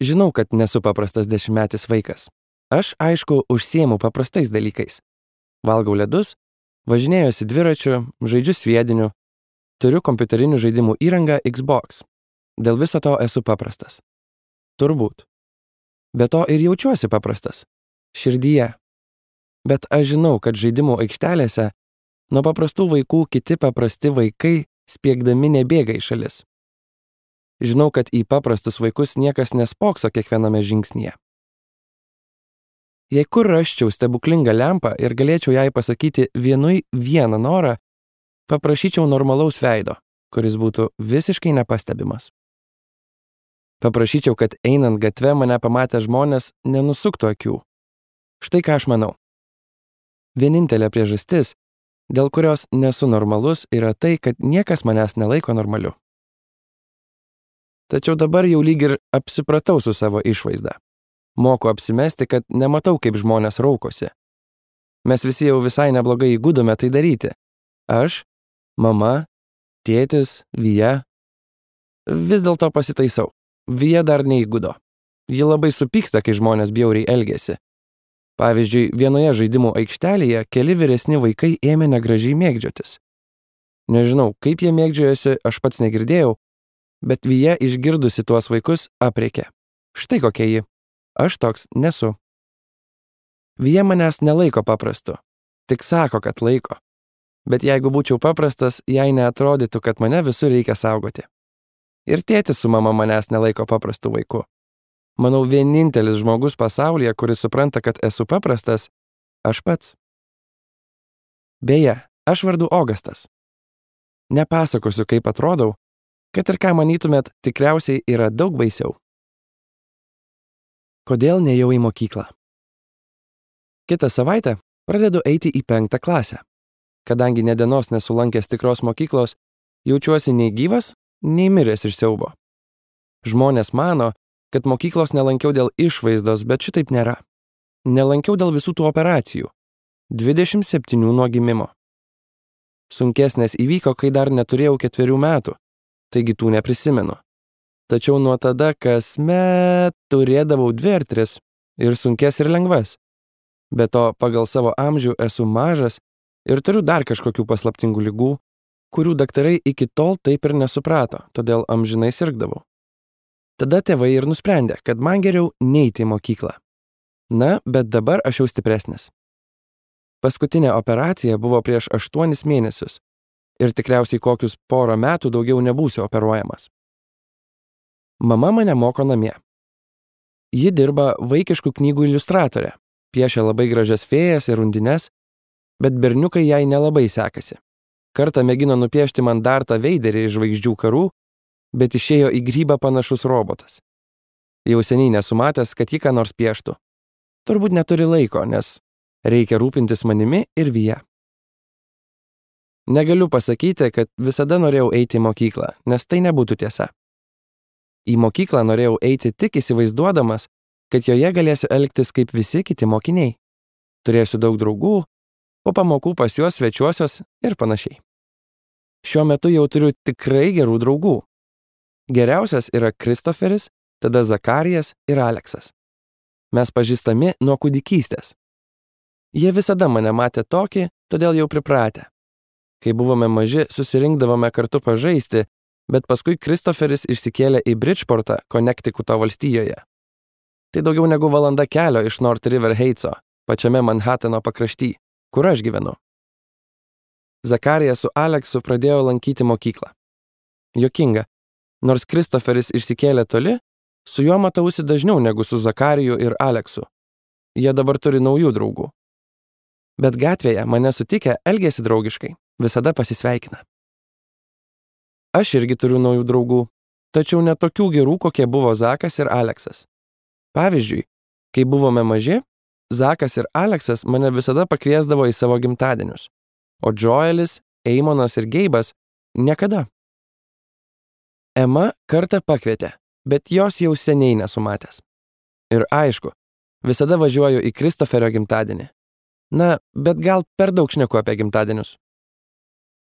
Žinau, kad nesu paprastas 10-metis vaikas. Aš, aišku, užsiemu paprastais dalykais. Valgau ledus, važinėjuosi dviračiu, žaidžiu sviediniu, turiu kompiuterinių žaidimų įrangą Xbox. Dėl viso to esu paprastas. Turbūt. Be to ir jaučiuosi paprastas. Širdyje. Bet aš žinau, kad žaidimų aikštelėse nuo paprastų vaikų kiti paprasti vaikai spiegdami nebėga į šalis. Žinau, kad į paprastus vaikus niekas nespokso kiekviename žingsnyje. Jei kur rasčiau stebuklingą lempą ir galėčiau jai pasakyti vieną norą, paprašyčiau normalaus veido, kuris būtų visiškai nepastebimas. Paprašyčiau, kad einant gatve mane pamatę žmonės nenusuktų akių. Štai ką aš manau. Vienintelė priežastis, dėl kurios nesu normalus, yra tai, kad niekas manęs nelaiko normaliu. Tačiau dabar jau lyg ir apsipratau su savo išvaizda. Moku apsimesti, kad nematau, kaip žmonės raukosi. Mes visi jau visai neblogai įgudome tai daryti. Aš, mama, tėtis, Vija. Vis dėlto pasitaisau. Vija dar neįgudo. Ji labai supyksta, kai žmonės bjauriai elgiasi. Pavyzdžiui, vienoje žaidimų aikštelėje keli vyresni vaikai ėmė negražiai mėgdžiotis. Nežinau, kaip jie mėgdžiojosi, aš pats negirdėjau, bet Vija išgirdusi tuos vaikus aprėkė. Štai kokia ji. Aš toks nesu. Vija manęs nelaiko paprastu. Tik sako, kad laiko. Bet jeigu būčiau paprastas, jai neatrodytų, kad mane visur reikia saugoti. Ir tėtis su mama manęs nelaiko paprastu vaiku. Manau, vienintelis žmogus pasaulyje, kuris supranta, kad esu paprastas, aš pats. Beje, aš vardu Ogastas. Nepasakosiu, kaip atrodau, kad ir ką manytumėt, tikriausiai yra daug baisiau. Kodėl nėjau į mokyklą? Kitą savaitę pradedu eiti į 5. klasę. Kadangi nė dienos nesulankęs tikros mokyklos, jaučiuosi nei gyvas, nei miręs iš siaubo. Žmonės mano, kad mokyklos nelankiau dėl išvaizdos, bet šitaip nėra. Nelankiau dėl visų tų operacijų. 27 nuo gimimo. Sunkesnės įvyko, kai dar neturėjau 4 metų, taigi tų neprisimenu. Tačiau nuo tada kasmet turėdavau 2 ar 3 ir sunkes ir lengvas. Be to, pagal savo amžių esu mažas ir turiu dar kažkokių paslaptingų ligų, kurių daktarai iki tol taip ir nesuprato, todėl amžinai sirgdavau. Tada tėvai ir nusprendė, kad man geriau neiti į mokyklą. Na, bet dabar aš jau stipresnis. Paskutinė operacija buvo prieš 8 mėnesius ir tikriausiai kokius 1 metų daugiau nebūsiu operuojamas. Mama mane moko namie. Ji dirba vaikiškų knygų iliustratorė, piešia labai gražias fėjas ir undines, bet berniukai jai nelabai sekasi. Kartą mėgino nupiešti man Dartą Veiderį iš Žvaigždžių karų, bet išėjo į grybą panašus robotas. Jau seniai nesu matęs, kad ji ką nors pieštų. Turbūt neturi laiko, nes reikia rūpintis manimi ir Vija. Negaliu pasakyti, kad visada norėjau eiti į mokyklą, nes tai nebūtų tiesa. Į mokyklą norėjau eiti tik įsivaizduodamas, kad joje galėsiu elgtis kaip visi kiti mokiniai. Turėsiu daug draugų, po pamokų pas juos svečiuosios ir panašiai. Šiuo metu jau turiu tikrai gerų draugų. Geriausias yra Kristoferis, tada Zakarijas ir Aleksas. Mes pažįstami nuo kūdikystės. Jie visada mane matė tokį, todėl jau pripratę. Kai buvome maži, susirinkdavome kartu pažaisti, bet paskui Kristoferis išsikėlė į Bridgeportą, Konektikuto valstijoje. Tai daugiau negu valanda kelio iš North River Heightso, pačiame Manhatano pakrašty, kur aš gyvenu. Zakarijas su Aleksu pradėjo lankyti mokyklą. Juokinga, nors Kristoferis išsikėlė toli, su juo matausi dažniau negu su Zakariju ir Aleksu. Jie dabar turi naujų draugų. Bet gatvėje mane sutikę elgėsi draugiškai, visada pasisveikina. Aš irgi turiu naujų draugų, tačiau ne tokių gerų, kokie buvo Zakas ir Aleksas. Pavyzdžiui, kai buvome maži, Zakas ir Aleksas mane visada pakviesdavo į savo gimtadienius, o Joelis, Eimonas ir Geibas niekada. Ema kartą pakvietė, bet jos jau seniai nesu matęs. Ir aišku, visada važiuoju į Kristoferio gimtadienį. Na, bet gal per daug šneku apie gimtadienius.